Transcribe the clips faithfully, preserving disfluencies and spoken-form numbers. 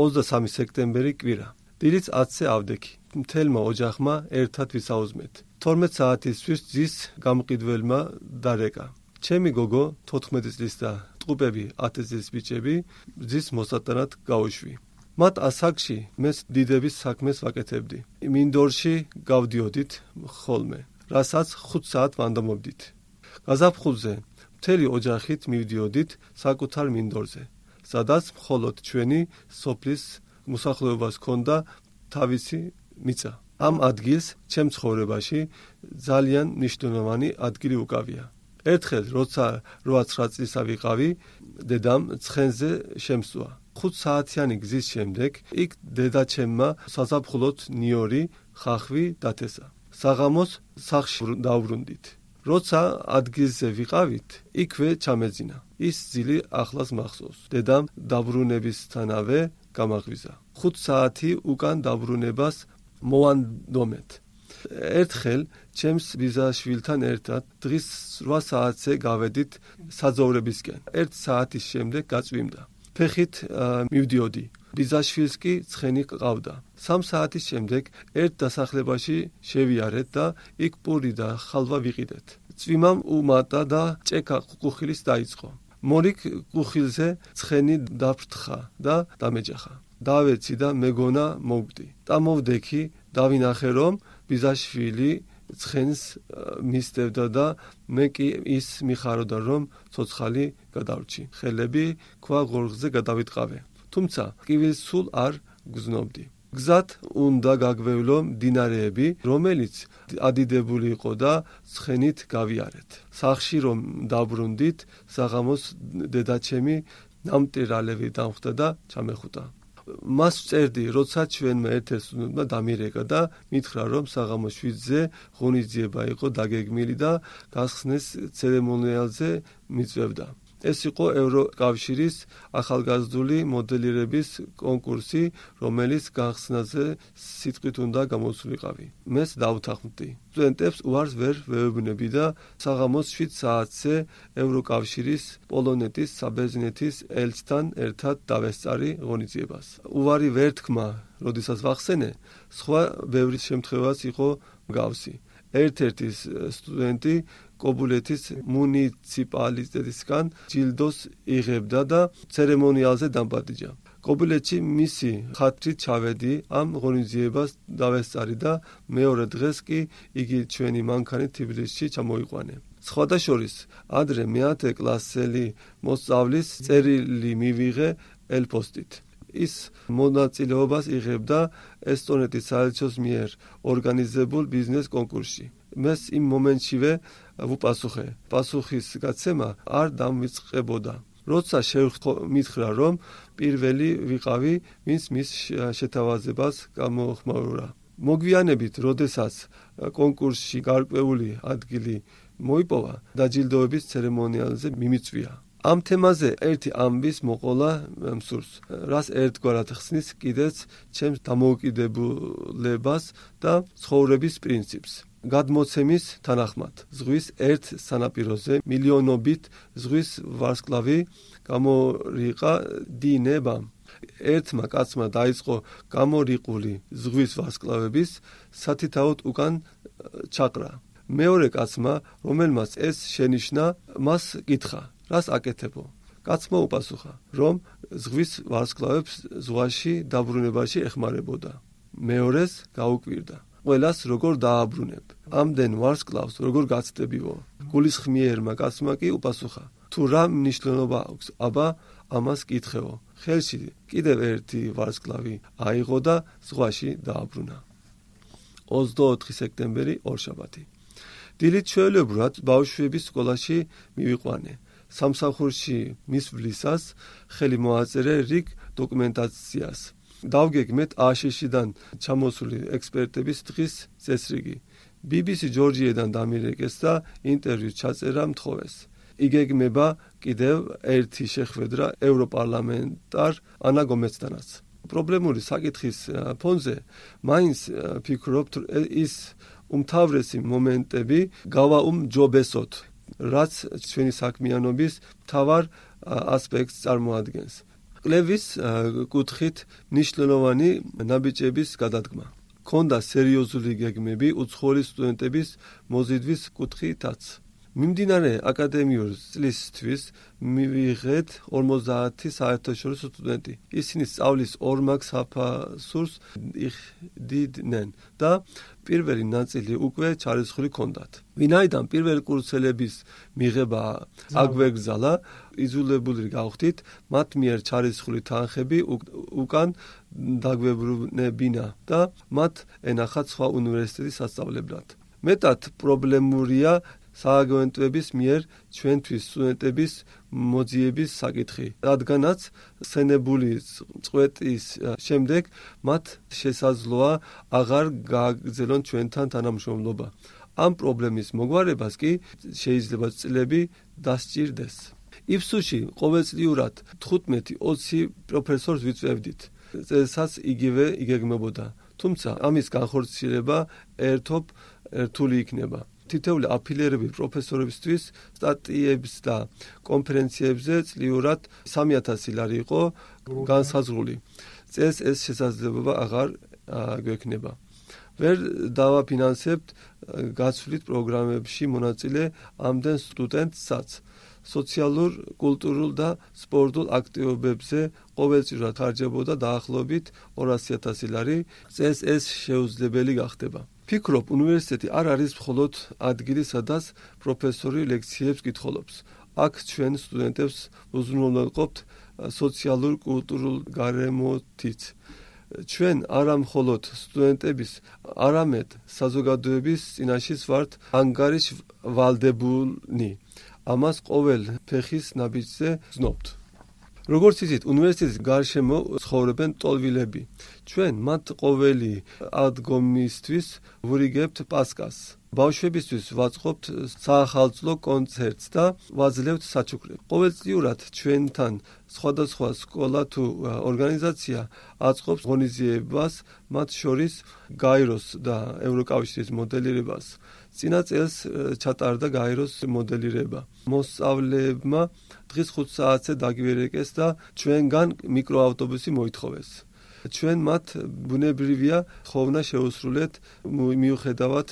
ოცდასამი სექტემბერი კვირა. დილით ათზე ავდექი. მთელმა ოჯახმა ერთად ვისაუზმეთ. თორმეტ საათისთვის ძის გამყიდველმა დარეკა. ჩემი გოგო თოთხმეტი წლის და ტყუპები ათი წლის ბიჭები ძის მოსატანად გაუშვი. მათ ასაკში მეც დიდების საქმეს ვაკეთებდი. მინდორში გავდიოდით ხოლმე, რასაც ხუთ საათ ვანდამობდით. გაზაფხულზე მთელი ოჯახით მივდიოდით საკუთარ მინდორზე, სადაც მხოლოდ ჩვენი სოფლის მოსახლეობას ჰქონდა თავისი მიწა. ამ ადგილს ჩემ ცხოვრებაში ძალიან მნიშვნელოვანი ადგილი უკავია. ერთხელ, როცა რვა-ცხრა წლისა ვიყავი, დედამ ცხენზე შემსვა. ხუთ საათიანი გზის შემდეგ იქ დედაჩემმა საზაფხულოდ ნიორი ხახვი დათესა. საღამოს სახლში დავბრუნდით. როცა ადგილზე ვიყავით, იქვე ჩამეძინა. ის ძილი ახლას მახსოვს. დედამ დაბრუნებისთანავე გამაღვიზა. ხუთ საათი უკან დაბრუნებას მოვანდომეთ. ერთხელ ჩემს ბიძაშვილთან ერთად დღის რვა საათზე გავედით საძოვრებისკენ. ერთ საათის შემდეგ გაწვიმდა. ფეხით მივდიოდი. ბიძაშვილს კი ცხენი ყავდა. სამ საათის შემდეგ ერთ დასახლებაში შევიარეთ და იქ პური და ხალვა ვიყიდეთ. წვიმამ უმატა და ჭექა კუხილის დაიწყო. მორიგ კუხილზე ცხენი დაფრთხა და დამეჯახა. დავეცი და მეგონა მოვგდი. დამოვდექი, დავინახე რომ ბიძაშვილი ცხენს მისდევდა და მე კი ის მიხაროდა რომ ცოცხალი გადავრჩი. ხელები ქვა ღორღზე გადავიტყავე. თუმცა ტკივილს სულ არ გზნობდი. გზად უნდა გაგვევლო მდინარეები, რომელიც ადიდებული იყო და ცხენით გავიარეთ. სახლში რომ დაბრუნდით, საღამოს დედაჩემი ნამტირალევი დამხვდა და ჩამეხუტა. მას ვწერდი, როცა ჩვენმა ერთ-ერთ სტუდენტმა დამირეკა და მითხრა, რომ საღამოს შვიდზე ღონისძიება იყო დაგეგმილი და გახსნის ცერემონიალზე მიწვევდა. ეს იყო ევროკავშირის ახალგაზრდული მოდელირების კონკურსი, რომელიც გახსნაზე სიტყვით უნდა გამოსულიყავი. მეც დავთანხმდი. სტუდენტებს უარს ვერ ვეუბნები და საღამოს შვიდ საათზე ევროკავშირის პოლონეთის საბერძნეთის ელჩთან ერთად დავესწარი ღონისძიებას. უარი ვერ თქმა, როდესაც ვახსენე, სხვა ბევრი შემთხვევაც იყო მსგავსი. ერთ-ერთი სტუდენტი კობულეთის მუნიციპალიტეტისგან ჯილდოს იღებდა და ცერემონიალზე დამპატიჯა. კობულეთში მისი ხათრით ჩავედი, ამ ღონისძიებას დავესწარი და მეორე დღეს კი იგი ჩვენი მანქანით თბილისში ჩამოიყვანე. სხვადასხვა ადრე მეათე კლასელი მოსწავლის წერილი მივიღე ელფოსტით. ის მონაწილეობას იღებდა ესტონეთის საელჩოს მიერ ორგანიზებულ ბიზნეს კონკურსში. მეს იმ მომენტშივე ვუპასუხე. პასუხის გაცემა არ დამვიწყებოდა. როცა მითხრა, რომ პირველი ვიყავი, ვინც მის შეთავაზებას გამოხმაურა. მოგვიანებით, როდესაც კონკურსში გარკვეული ადგილი მოიპოვა, დაჯილდოების ცერემონიალზე მიმიწვია. ამ თემაზე ერთი ამბის მოყოლა მსურს, რას ერთგვარად ხსნის კიდეც ჩემს დამოუკიდებლებას და ცხოვრების პრინციპს. გადმოცემის თანახმად, ზღვის ერთ სანაპიროზე მილიონობით ზღვის ვარსკვლავი გამორიყა დინებამ. ერთმა კაცმა დაიწყო გამორიყული ზღვის ვარსკვლავების სათითაოდ უკან ჩაყრა. მეორე კაცმა, რომელმაც ეს შენიშნა, მას კითხა, რას აკეთებო? კაცმა უპასუხა, რომ ზღვის ვარსკვლავებს ზღვაში დაბრუნებაში ეხმარებოდა. მეორეს გაუკვირდა. ყველას როგორ დააბრუნებ? ამდენ ვარსკვლავს როგორ გაცდებიო? გულისხმიერმა კაცმა კი უპასუხა, თუ რა მნიშვნელობა აქვს, აბა ამას კითხეო. ხელში კიდევ ერთი ვარსკვლავი აიღო და ზღვაში დააბრუნა. ოცდაოთხი სექტემბერი ორშაბათი. დილით ჩვეულებრივად ბავშვების სკოლაში მივიყვანე. სამსახურში მისვლისას ხელი მოაწერე რიგ დოკუმენტაციას. დავგეგმეთ აშშ-დან ჩამოსული ექსპერტების დღის წესრიგი. ბი ბი სი ჯორჯიედან დამირეკეს და ინტერვიუს ჩაწერა მთხოვეს. იგეგმება კიდევ ერთი შეხვედრა ევროპარლამენტარ ანა გომეცთანაც. პრობლემური საკითხის ფონზე მაინც ფიქრობ ის უმთავრესი მომენტები გავაუმჯობესოთ, რაც ჩვენი საქმიანობის მთავარ ასპექტს წარმოადგენს. კვლევის კუთხით მნიშვნელოვანი ნაბიჯების გადადგმა. ქონდა სერიოზული გეგმები უცხოელი სტუდენტების მოზიდვის კუთხითაც. მიმდინარე აკადემიურ წლისთვის მივიღეთ ორმოცდაათი საერთაშორისო სტუდენტი. ისინი სწავლის ორმაგ საფასურს იხდიდნენ და პირველი ნაწილი უკვე ჩარისხული ჰქონდათ. ვინაიდან პირველი კურსელების მიღება აგვეგზალა, იძულებული გავხდით მათ მიერ ჩარისხული თანხები უკან დაგვებრუნებინა და მათ ენახათ სხვა უნივერსიტეტის სასწავლებლად. მეტად პრობლემურია სააგენტოების მიერ ჩვენთვის სტუდენტების მოძიების საკითხი, რადგანაც სცენებული წვეტის შემდეგ მათ შესაძლოა აღარ გააგრძელონ ჩვენთან თანამშრომლობა. ამ პრობლემის მოგვარებას კი შეიძლება წლები დასჭირდეს. იფსუში ყოველწლიურად თხუთმეტი ოცი პროფესორს ვიწევდით, წელსაც იგივე იგეგმებოდა, თუმცა ამის განხორციელება ერთობ რთული იქნება. თითოეული აფილირებული პროფესორებისთვის სტატიებს და კონფერენციებზე წლიურად სამი ათასი ლარი იყო განსაზღვრული. წელს ეს შესაძლებლობა აღარ გვექნება. ვერ დავაფინანსებთ გაცვლით პროგრამებში მონაწილე ამდენ სტუდენტსაც. სოციალურ, კულტურულ და სპორტულ აქტივობებზე ყოველწლიურად ხარჯებოდა დაახლოებით ორასი ათასი ლარი. წელს ეს შეუძლებელი გახდება. ფიქრობ, უნივერსიტეტი არ არის მხოლოდ ადგილი, სადაც პროფესორი ლექციებს კითხულობს. აქ ჩვენ სტუდენტებს უზრუნველყოფთ სოციალურ, კულტურულ გარემოთიც. ჩვენ არა მხოლოდ სტუდენტების, არამედ საზოგადოების წინაშე ვართ ანგარიშვალდებულნი. ამას ყოველ ფეხის ნაბიჯზე ვზნობთ. როგორც იცით, უნივერსიტეტის გარშემო ცხოვრობენ ტოლვილები. ჩვენ მათ ყოველი ადგომისთვის ვურიგებთ პასკას. ბავშვებისთვის ვაწყობთ საახალწლო კონცერტს და ვაძლევთ საჩუქრებს. ყოველწლიურად ჩვენთან სხვადასხვა სკოლა თუ ორგანიზაცია აწყობს ღონისძიებას, მათ შორის გაიროს და ევროკავშირის მოდელირებას. წინა წელს ჩატარდა გაიროს მოდელირება. მოსწავლეებმა დღის ხუთ საათზე დაგვირეკეს და ჩვენგან მიკროავტობუსი მოითხოვეს. ჩვენ მათ ბუნებრივია ხოვნა შეუსრულეთ მიუხედავად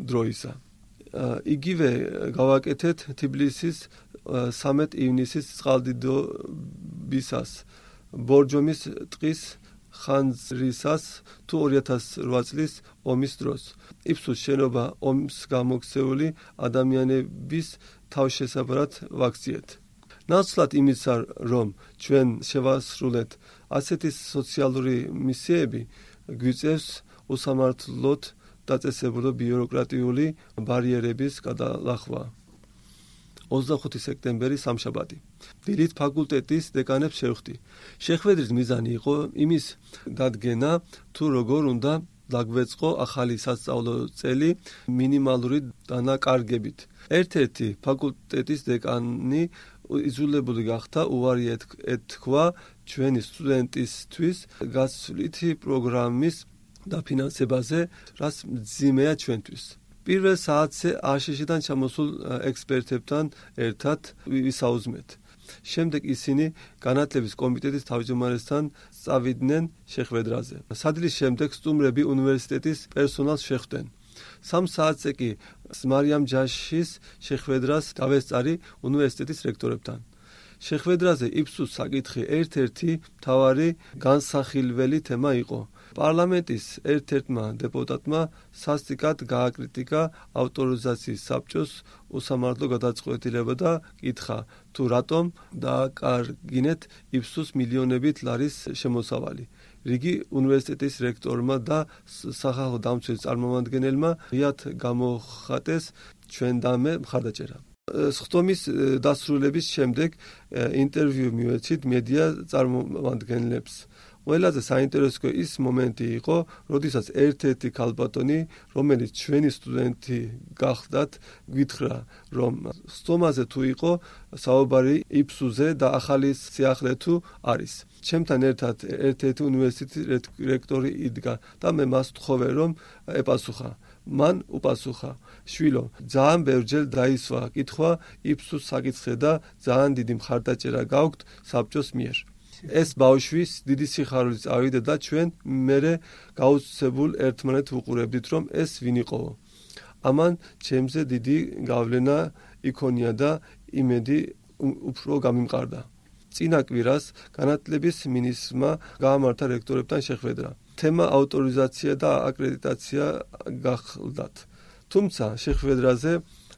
დროისა. იგივე გავაკეთეთ თბილისის სამედ ივნისის წყალდიდობისას, ბორჯომის ტყის ხანძრისას თუ ორი ათასი ოთხ წლის ომის დროს. იფსუს შენობა ომს გამოქცეული ადამიანების თავშესაფრად ვაქციეთ. ნაცვლად იმისა, რომ ჩვენ შევასრულეთ ასეთი სოციალური მისიები, გვიწევს უსამართლოდ დაწესებულო ბიუროკრატიული ბარიერების გადალახვა. ოცდახუთი სექტემბერი სამშაბათი. დილით ფაკულტეტის დეკანებს შევხვდი. შეხვედრის მიზანი იყო იმის დადგენა, თუ როგორ უნდა დაგვეწყო ახალი სასწავლო წელი მინიმალური დანაკარგებით. ერთ-ერთი ფაკულტეტის დეკანი იძულებული გახდა უარი ეთქვა ჩვენი სტუდენტისთვის გასვლითი პროგრამის დაფინანსებაზე, რაც მძიმეა ჩვენთვის. პირველ საათზე აშშ-დან ჩამოსულ ექსპერტებთან ერთად ვისაუზმეთ. შემდეგ ისინი განათლების კომიტეტის თავმჯდომარესთან წავიდნენ შეხვედრაზე. სადილის შემდეგ სტუმრები უნივერსიტეტის პერსონალს შეხვდნენ. სამ საათზე კი მარიამ ჯაშის შეხვედრას დავესწარი უნივერსიტეტის რექტორებთან. შეხვედრაზე იფსუს საკითხი ერთ-ერთი მთავარი განსახილველი თემა იყო. პარლამენტის ერთ-ერთმა დეპუტატმა სასტიკად გააკრიტიკა ავტორიზაციის საბჭოს უსამართლო გადაწყვეტილება და კითხა, თუ რატომ დააკარგინეთ იფსუს მილიონობით ლარის შემოსავალი. რიგი უნივერსიტეტის რექტორმა და სახალხო დამცველის წარმომადგენელმა ღიად გამოხატეს ჩვენდამე მხარდაჭერა. სხდომის დასრულების შემდეგ ინტერვიუ მივეცით მედია წარმომადგენლებს. ყველაზე საინტერესო ის მომენტი იყო, როდესაც ერთ-ერთი ქალბატონი, რომელიც ჩვენი სტუდენტი გახლდათ, გითხრა, რომ სხდომაზე თუ იყო საუბარი იფსუზე და ახალი სიახლე თუ არის. ჩემთან ერთად ერთ-ერთი უნივერსიტეტის რექტორი იდგა და მე მას ვთხოვე, რომ ეპასუხა. მან უპასუხა, შვილო, ძალიან ბევრჯერ დაისვა კითხვა იფსუს საკითხზე და ძალიან დიდი მხარდაჭერა გაქვთ საბჭოს მიერ. ეს ბავშვი დიდი სიხარულით წავიდა და ჩვენ მერე გაუცებულ ერთმანეთ ვუყურებდით, რომ ეს ვინ იყოო. ამან ჩემზე დიდი გავლენა იქონია და იმედი უფრო გამიმყარდა. წინა კვირას განათლების მინისტრმა გაამართა რექტორებთან შეხვედრა. თემა ავტორიზაცია და აკრედიტაცია გახლდათ. თუმცა შეხვედრაზე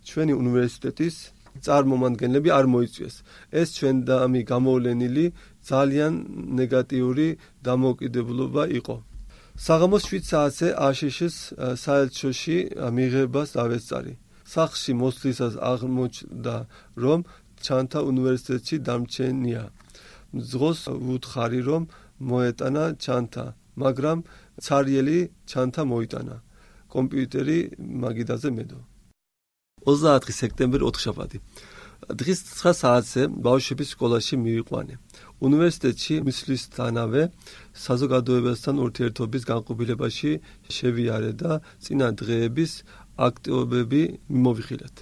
ჩვენი უნივერსიტეტის წარმომადგენლები არ მოიწვიეს. ეს ჩვენდამი გამოვლენილი ძალიან ნეგატიური დამოუკიდებლობა იყო. საღამოს შვიდ საათზე აშშ-ის საელჩოში მიღებას დავესწარი. სახლში მოსვლისას აღმოჩნდა, რომ ჩანთა უნივერსიტეტში დამრჩენია. მძღოლს ვუთხარი, რომ მოეტანა ჩანთა, მაგრამ ცარიელი ჩანთა მოიტანა. კომპიუტერი მაგიდაზე მედო. ოცდაათი სექტემბერი ოთხშაბათი. დღის ცხრა საათზე ბავშვების სკოლაში მივიყვანე. უნივერსიტეტში მისვლისთანავე საზოგადოებასთან ურთიერთობის განყოფილებაში შევიარე და წინა დღეების აქტივობები მიმოვიხილეთ.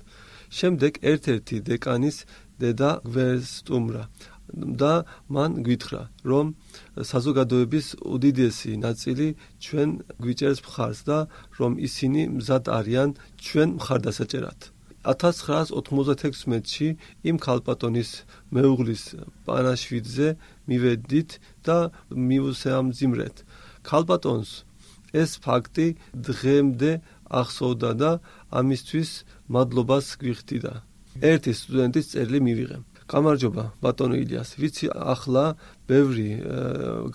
შემდეგ ერთ-ერთი დეკანის დედა გვესტუმრა და მან გვითხრა, რომ საზოგადოების უდიდესი ნაწილი ჩვენ გვიჭერს მხარს და რომ ისინი მზად არიან ჩვენ მხარდასაჭერად. ათას ცხრაას ოთხმოცდაექვსმეტში იმ ქალბატონის მეუღლის პანაშვიდზე მივედით და მივუსამძიმრეთ. ქალბატონს ეს ფაქტი დღემდე ახსოვდა და ამისთვის მადლობას გვიხდიდა. ერთი სტუდენტის წერილი მივიღე. გამარჯობა, ბატონო ილიას, ვიცი ახლა ბევრი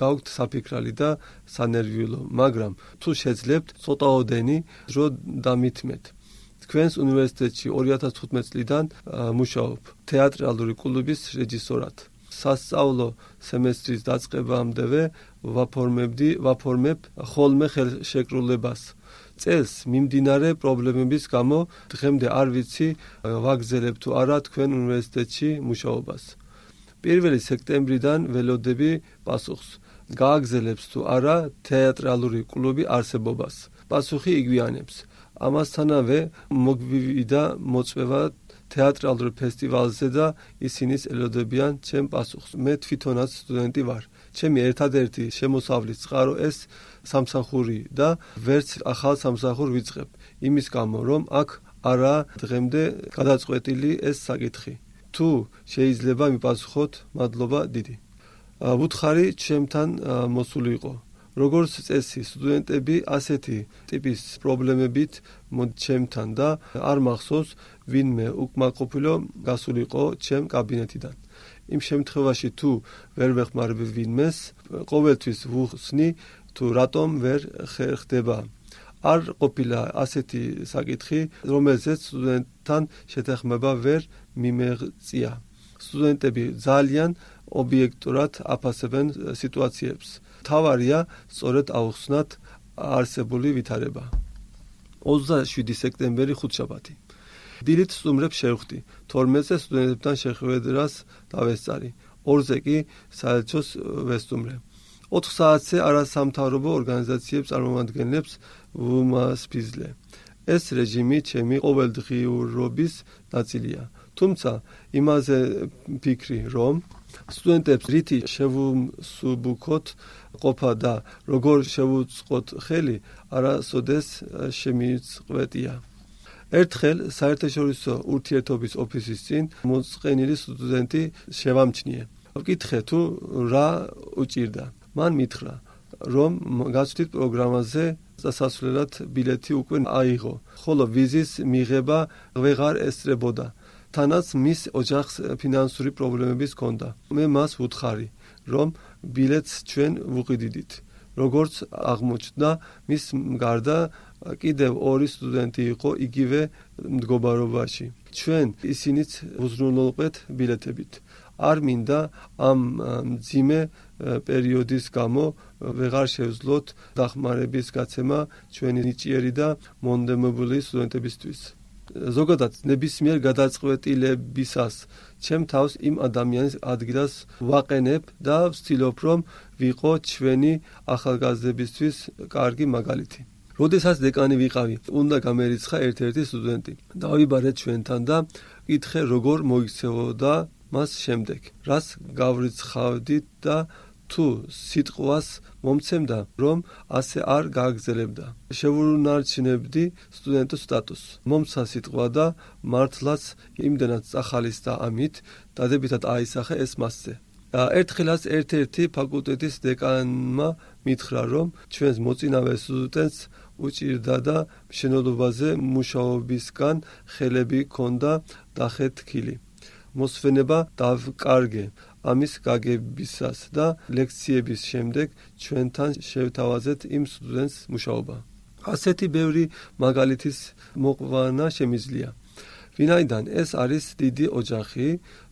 გაქვთ საფიქრალი და სანერვიულო, მაგრამ თუ შეძლებთ ცოტაოდენი დრო დამითმეთ. თქვენს უნივერსიტეტში ორი ათას თხუთმეტი წლიდან მუშაობ თეატრალური კლუბის რეჟისორად. სასწავლო სემესტრის დაწყებამდევე ვაფორმებდი, ვაფორმებ ხოლმე ხელშეკრულებას. წელს მიმდინარე პრობლემების გამო დღემდე არ ვიცი ვაგზელებ თუ არა თქვენ უნივერსიტეტში მუშაობას. პირველი სექტემბრიდან ველოდები პასუხს. გააგზელებს თუ არა თეატრალური კლუბი არსებობას. პასუხი იგვიანებს. ამასთანავე მოგვივიდა მოწვევა თეატრალურ ფესტივალზე და ისინი ელოდებიან ჩემ პასუხს. მე თვითონაც სტუდენტი ვარ. ჩემი ერთადერთი შემოსავლის წყარო ეს სამსახური და ვერც ახალ სამსახურ ვიწყებ. იმის გამო, რომ აქ არა დღემდე გადაწყვეტილი ეს საკითხი. თუ შეიძლება მიპასუხოთ, მადლობა დიდი. ვუთხარი ჩემთან მოსული იყო. როგორც წესი, სტუდენტები ასეთი ტიპის პრობლემებით ჩემთან და არ მახსოვს ვინმე უკმაყოფილო გასულიყო ჩემ კაბინეტიდან. იმ შემთხვევაში თუ ვერ ვეხმარებ ვინმეს, ყოველთვის ვუხსნი თუ რატომ ვერ ხდება. არ ყოფილა ასეთი საკითხი, რომელზეც სტუდენტთან შეთანხმება ვერ მიმეღწია. სტუდენტები ძალიან ობიექტურად აფასებენ სიტუაციებს. თავარია სწორედ აუხსნათ არსებული ვითარება. ოცდაშვიდი სექტემბერი ხუთშაბათი. დილით სტუმრებს შევხვდი. თორმეტზე სტუდენტებთან შეხვედრას დავესწარი. ორზე კი საელჩოს ვესტუმრე. ოთხ საათზე არასამთავრობო ორგანიზაციებს წარმომადგენლებს ვუმასპინძლე. ეს რეჟიმი ჩემი ყოველდღიურობის ნაწილია. თუმცა იმაზე ფიქრი, რომ სტუდენტებს რითი შევუსუბუქოთ ყოფა და როგორ შევუწყოთ ხელი, არასოდეს შემიწყვეტია. ერთხელ საერთაშორისო ურთიერთობის ოფისის წინ მოწყენილი სტუდენტი შევამჩნიე. ვკითხე თუ რა უჭირდა. მან მითხრა, რომ გაცვლით პროგრამაზე სასასვლელად ბილეთი უკვე აიღო, ხოლო ვიზის მიღება ვეღარ ესწრებოდა. თანაც მის ოჯახს ფინანსური პრობლემების ჰქონდა. მე მას ვუთხარი, რომ ბილეთს ჩვენ ვუყიდით. როგორც აღმოჩნდა, მის გარდა კიდევ ორი სტუდენტი იყო იგივე მდგომარეობაში. ჩვენ ისინიც უზრუნველყვეთ ბილეთებით. არ მინდა ამ მძიმე პერიოდის გამო ვეღარ შევძლოთ დახმარების გაცემა ჩვენი ნიჭიერი და მონდომებული სტუდენტებისთვის. ზოგადად ნებისმიერ გადაწყვეტილებისას ჩემ თავს იმ ადამიანის ადგილას ვაყენებ და ვცდილობ, რომ ვიყო ჩვენი ახალგაზრდებისთვის კარგი მაგალითი. როდესაც დეკანი ვიყავი, უნდა გამერიცხა ერთ-ერთი სტუდენტი. დავიბარე ჩვენთან და კითხე, როგორ მოიქცეოდა მას შემდეგ, რას გავრიცხავდით და თუ სიტყვას მომცემდა, რომ ასე არ გააგრძელებდა. შევუნარჩუნებდი სტუდენტის სტატუსს. მომცა სიტყვა და მართლაც იმდენად წახალის და ამით დადებითად აისახე ეს მასზე. ერთხელაც ერთ-ერთი ფაკულტეტის დეკანმა მითხრა, რომ ჩვენს მოწინავე სტუდენტს უჭირდა და მშენებლობაზე მუშაობისგან ხელები ჰქონდა დახეთქილი. მოსვენება დავკარგე ამის გაგებისას და ლექციების შემდეგ ჩვენთან შევთავაზეთ იმ სტუდენტს მუშაობა. ასეთი ბევრი მაგალითის მოყვანა შემიძლია. ვინაიდან ეს არის დიდი ოჯახი,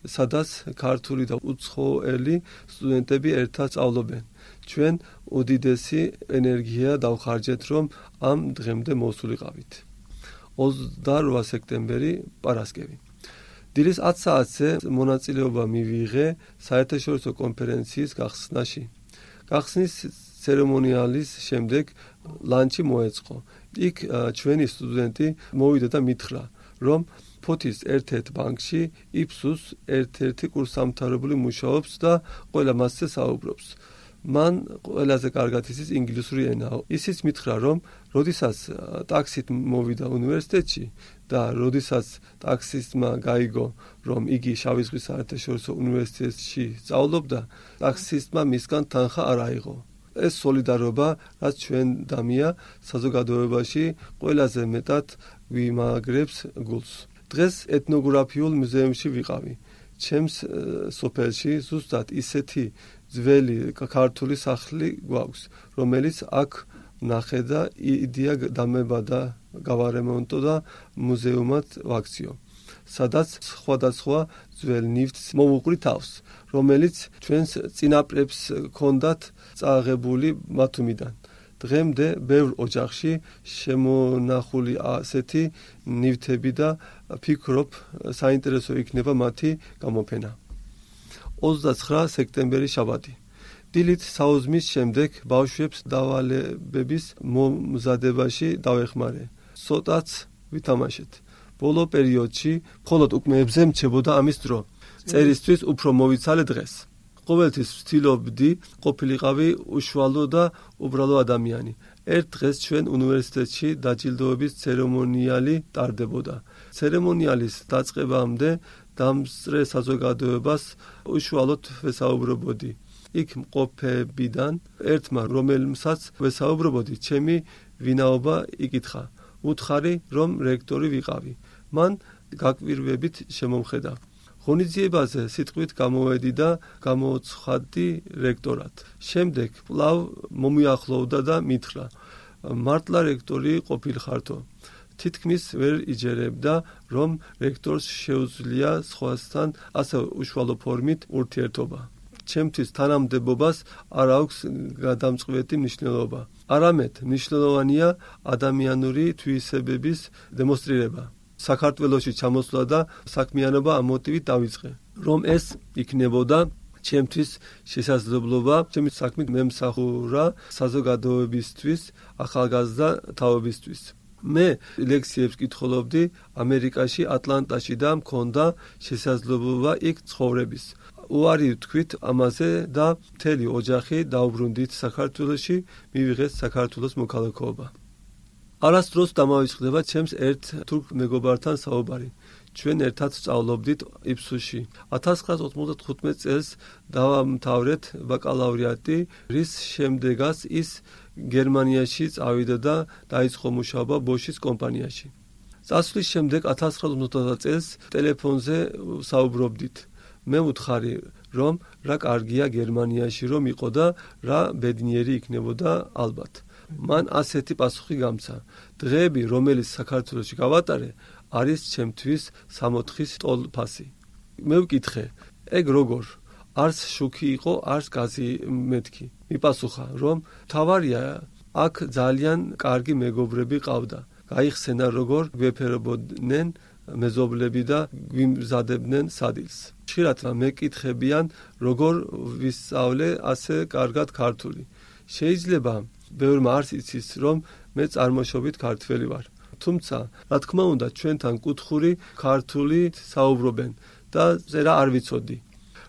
სადაც ქართული და უცხოელი სტუდენტები ერთად სწავლობენ. ჩვენ უდიდესი ენერგია დავხარჯეთ, რომ ამ დღემდე მოსულიყავით. ოცდაოთხი სექტემბერი, პარასკევი. დილის ათ საათზე მონაწილეობა მივიღე საერთაშორისო კონფერენციის გახსნაში. გახსნის ცერემონიალის შემდეგ ლანჩი მოეწყო. იქ ჩვენი სტუდენტი მოვიდა და მითხრა, რომ ფოთის ერთ-ერთ ბანკში იფსუს ერთ-ერთი კურსდამთავრებული მუშაობს და ყველა მასზე საუბრობს. მან ყველაზე კარგად იცის ინგლისური ენა. ისიც მითხრა, რომ როდესაც ტაქსით მოვიდა უნივერსიტეტში და როდესაც ტაქსისტმა გაიგო, რომ იგი შავი ზღვის საერთაშორისო უნივერსიტეტში სწავლობდა, ტაქსისტმა მისგან თანხა არ აიღო. ეს სოლიდარობა, რაც ჩვენ დამია საზოგადოებაში ყველაზე მეტად ვიმაგრებს გულს. დღეს ეთნოგრაფიულ მუზეუმში ვიყავი. ჩემს სოფელში ზუსტად ისეთი ძველი ქართული სახლი გვაქვს, რომელიც აქ ნახე და იდეა დამებადა გავარემონტო და მუზეუმად ვაქციო, სადაც სხვადასხვა ძველ ნივთს მოვუყრი თავს, რომელიც ჩვენს წინაპრებს ჰქონდათ წაღებული მათუმიდან. დღემდე ბევრ ოჯახში შემონახული ასეთი ნივთები და ფიქრობ, საინტერესო იქნება მათი გამოფენა. ოცდაცხრა სექტემბერი, შაბათი. დილით საუზმის შემდეგ ბავშვებს დავალებების მომზადებაში დავეხმარე. ცოტაც ვითამაშეთ. ბოლო პერიოდში მხოლოდ უკმეებზე მრჩებოდა ამის დრო. წერისთვის უფრო მოვიცალე დღეს. ყოველთვის ვცდილობდი ყოფილიყავი უშუალო და უბრალო ადამიანი. ერთ დღეს ჩვენ უნივერსიტეტში დაჯილდოების ცერემონიალი ტარდებოდა. ცერემონიალის დაწყებამდე დამსწრე საზოგადოებას უშუალოდ ვესაუბრობოდი. იქ მყოფებიდან ერთმა, რომელმსაც ვესაუბრობოდი, ჩემი ვინაობა იკითხა. უთხარი, რომ რექტორი ვიყავი. მან გაკვირვებით შემომხედა. ღონისძიებაზე სიტყვით გამოვედი და გამოცხადდი რექტორად. შემდეგ კვლავ მომიახლოვდა და მითხრა, მართლა რექტორი ყოფილხართო. თითქმის ვერ იჯერებდა, რომ რექტორს შეუძლია სხვასთან ასე უშუალო ფორმით ურთიერთობა. ჩემთვის თანამდებობას არ აქვს გადამწყვეტი მნიშვნელობა. არამედ მნიშვნელოვანია ადამიანური თვისებების დემონსტრირება. საქართველოში ჩამოსვლა და საქმიანობა ამ მოტივით დავიწყე, რომ ეს იქნებოდა ჩემთვის შესაძლებლობა ჩემი საქმით მემსახურა საზოგადოებისთვის, ახალგაზრდა თაობისთვის. მე ლექციებს კითხულობდი ამერიკაში, ატლანტაში და მქონდა შესაძლებლობა იქ ცხოვრების. უარი ვთქვით ამაზე და მთელი ოჯახი დაუბრუნდით საქართველოში, მივიღეთ საქართველოს მოქალაქეობა. არასდროს დამავიწყდება ჩემს ერთ თურქ მეგობართან საუბარი. ჩვენ ერთად სწავლობდით იფსუსში. ათას ცხრაასი ოცდათხუთმეტ წელს დავამთავრეთ ბაკალავრიატი, რის შემდეგაც ის გერმანიაში წავიდა და დაიწყო მუშაობა ბოშის კომპანიაში. წასვლის შემდეგ ათას ცხრაასი ოცდაოთხ წელს ტელეფონზე საუბრობდით. მე ვუთხარი, რომ რა კარგია გერმანიაში რომ იყო და რა ბედნიერი იქნებოდა ალბათ. მან ასეთი პასუხი გამცა. დღეები, რომელიც საქართველოში გავატარე, არის ჩემთვის სამოთხის ტოლფასი. მე ვკითხე, ეგ როგორ? არც შუქი იყო, არც გაზი მეთქი. მიპასუხა, რომ თავარია, აქ ძალიან კარგი მეგობრები ყავდა. გაიხსენა, როგორ გვეფერებოდნენ მეზობლები და გვიმზადებდნენ სადილს. ხშირად მეკითხებიან, როგორ ვისწავლე ასე კარგად ქართული. შეიძლება ბევრმა არ იცის, რომ მე წარმოშობით ქართველი ვარ. თუმცა, რა თქმა უნდა, ჩვენთან კუთხური ქართული საუბრობენ და წერა არ ვიცოდი.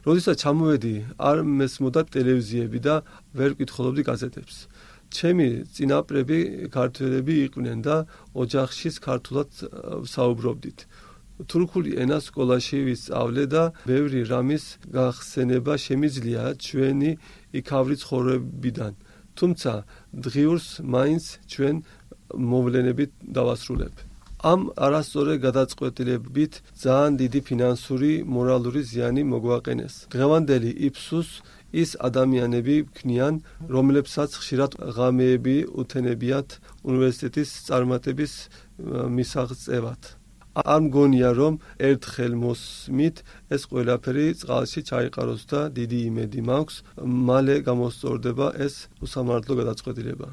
როდესაც ჩამოვედი, არ მესმოდა ტელევიზიები და ვერ ვკითხულობდი გაზეთებს. ჩემი წინაპრები ქართველები იყვნენ და ოჯახში ქართულად საუბრობდით. თურქული ენა სკოლაში ვისწავლე და ბევრი რამის გახსენება შემიძლია ჩვენი იქავრი ცხოვრებიდან. თუმცა დღიურს მაინც ჩვენ მოვლენებით დავასრულებ. ამ არასწორი გადაწყვეტილებით ძალიან დიდი ფინანსური, მორალური ზიანი მოგვაყენეს. დღევანდელი იფსუს ის ადამიანები ვქნიან, რომლებსაც ხშირად ღამეები უთენებიათ უნივერსიტეტის წარმატების მისაღწევად. არ მგონია, რომ ერთხელ მოსმით ეს ყველაფერი წყალში ჩაიყაროს და დიდი იმედი მაქვს, მალე გამოსწორდება ეს უსამართლო გადაწყვეტილება.